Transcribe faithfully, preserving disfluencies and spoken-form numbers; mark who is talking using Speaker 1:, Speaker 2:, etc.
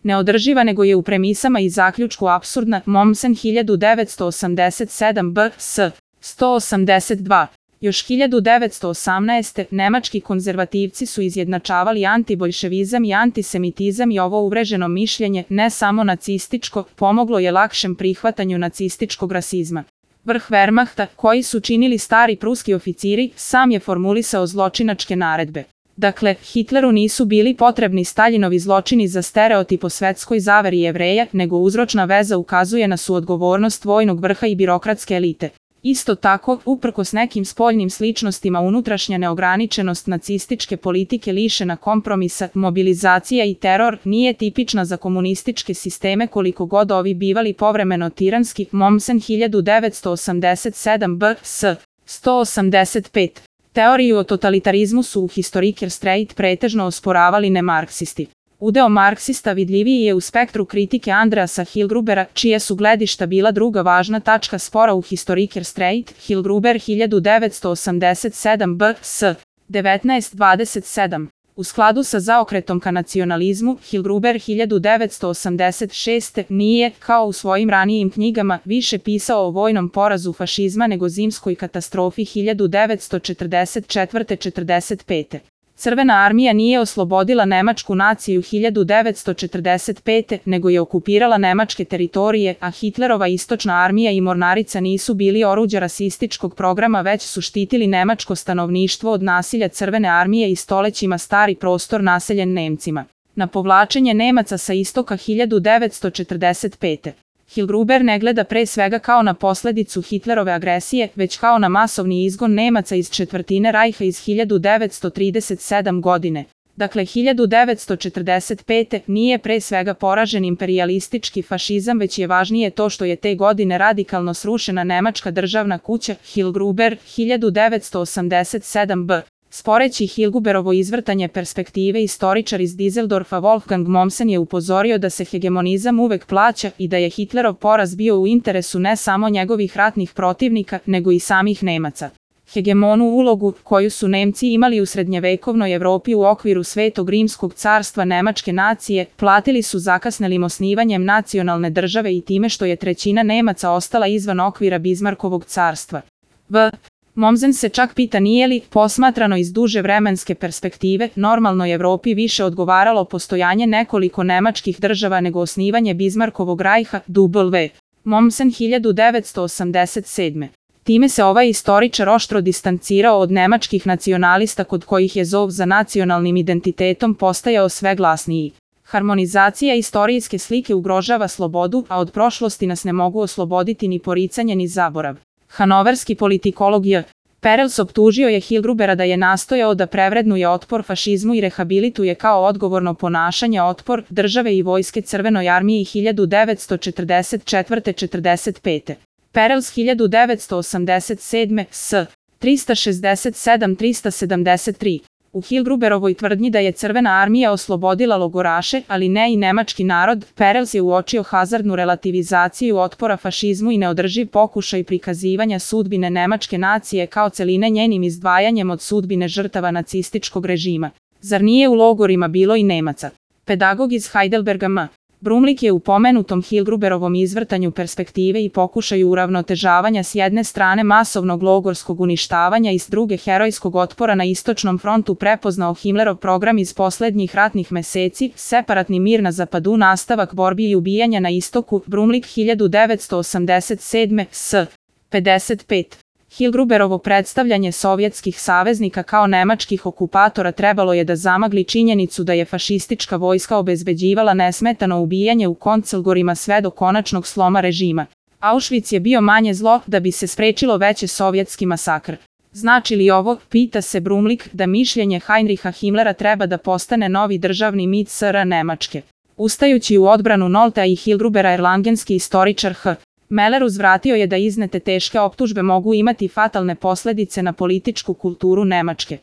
Speaker 1: neodrživa nego je u premisama i zaključku apsurdna. Mommsen hiljadu devetsto osamdeset sedam B S sto osamdeset dva. Još hiljadu devetsto osamnaeste. nemački konzervativci su izjednačavali antiboljševizam i antisemitizam i ovo uvreženo mišljenje, ne samo nacističko, pomoglo je lakšem prihvatanju nacističkog rasizma. Vrh Wehrmachta, koji su činili stari pruski oficiri, sam je formulisao zločinačke naredbe. Dakle, Hitleru nisu bili potrebni Staljinovi zločini za stereotip o svetskoj zaveri Jevreja, nego uzročna veza ukazuje na suodgovornost vojnog vrha i birokratske elite. Isto tako, uprkos nekim spoljnim sličnostima, unutrašnja neograničenost nacističke politike lišena kompromisa, mobilizacija i teror nije tipična za komunističke sisteme koliko god ovi bivali povremeno tiranski. Mommsen hiljadu devetsto osamdeset sedam B S sto osamdeset pet. Teoriju o totalitarizmu su u Historiker Streit pretežno osporavali nemarksisti. Udeo marksista vidljiviji je u spektru kritike Andreasa Hilgrubera, čije su gledišta bila druga važna tačka spora u Historiker Streit. Hilgruber hiljadu devetsto osamdeset sedam B S devetnaest dvadeset sedam. U skladu sa zaokretom ka nacionalizmu, Hilgruber hiljadu devetsto osamdeset šeste. nije, kao u svojim ranijim knjigama, više pisao o vojnom porazu fašizma nego zimskoj katastrofi hiljadu devetsto četrdeset četvrte do četrdeset pete. Crvena armija nije oslobodila nemačku naciju hiljadu devetsto četrdeset pete. nego je okupirala nemačke teritorije, a Hitlerova istočna armija i mornarica nisu bili oruđa rasističkog programa, već su štitili nemačko stanovništvo od nasilja Crvene armije i stolećima stari prostor naseljen Nemcima. Na povlačenje Nemaca sa istoka hiljadu devetsto četrdeset pete. Hilgruber ne gleda pre svega kao na posledicu Hitlerove agresije, već kao na masovni izgon Nemaca iz četvrtine Rajha iz hiljadu devetsto trideset sedme. godine. Dakle, hiljadu devetsto četrdeset pete. nije pre svega poražen imperijalistički fašizam, već je važnije to što je te godine radikalno srušena nemačka državna kuća. Hilgruber hiljadu devetsto osamdeset sedam B. Sporeći Hilgruberovo izvrtanje perspektive, istoričar iz Dizeldorfa Wolfgang Mommsen je upozorio da se hegemonizam uvek plaća i da je Hitlerov poraz bio u interesu ne samo njegovih ratnih protivnika, nego i samih Nemaca. Hegemonu ulogu, koju su Nemci imali u srednjevekovnoj Evropi u okviru Svetog rimskog carstva nemačke nacije, platili su zakasnelim osnivanjem nacionalne države i time što je trećina Nemaca ostala izvan okvira Bizmarkovog carstva. V. Mommsen se čak pita nije li, posmatrano iz duže vremenske perspektive, normalnoj Evropi više odgovaralo postojanje nekoliko nemačkih država nego osnivanje Bizmarkovog rajha. W. Mommsen hiljadu devetsto osamdeset sedme. Time se ovaj istoričar oštro distancirao od nemačkih nacionalista kod kojih je zov za nacionalnim identitetom postajao sve glasniji. Harmonizacija istorijske slike ugrožava slobodu, a od prošlosti nas ne mogu osloboditi ni poricanje ni zaborav. Hanoverski politikolog J. Perels optužio je Hilgrubera da je nastojao da prevrednuje otpor fašizmu i rehabilituje kao odgovorno ponašanje otpor države i vojske Crvenoj armiji hiljadu devetsto četrdeset četvrte do četrdeset pete. Perels hiljadu devetsto osamdeset sedme. S. trista šezdeset sedam do trista sedamdeset tri. U Hilgruberovoj tvrdnji da je Crvena armija oslobodila logoraše, ali ne i nemački narod, Perels je uočio hazardnu relativizaciju otpora fašizmu i neodrživ pokušaj prikazivanja sudbine nemačke nacije kao celine njenim izdvajanjem od sudbine žrtava nacističkog režima. Zar nije u logorima bilo i Nemaca? Pedagog iz Heidelberga M. Brumlik je u pomenutom Hilgruberovom izvrtanju perspektive i pokušaju uravnotežavanja s jedne strane masovnog logorskog uništavanja i s druge herojskog otpora na istočnom frontu prepoznao Himmlerov program iz poslednjih ratnih meseci, separatni mir na zapadu, nastavak borbi i ubijanja na istoku. Brumlik hiljadu devetsto osamdeset sedme. S. pedeset pet. Hilgruberovo predstavljanje sovjetskih saveznika kao nemačkih okupatora trebalo je da zamagli činjenicu da je fašistička vojska obezbeđivala nesmetano ubijanje u koncelgorima sve do konačnog sloma režima. Auschwitz je bio manje zlo da bi se sprečilo veće sovjetski masakr. Znači li ovo, pita se Brumlik, da mišljenje Heinricha Himmlera treba da postane novi državni mit S R Nemačke? Ustajući u odbranu Noltea i Hilgrubera erlangenski istoričar H. Meller uzvratio je da iznete teške optužbe mogu imati fatalne posledice na političku kulturu Nemačke.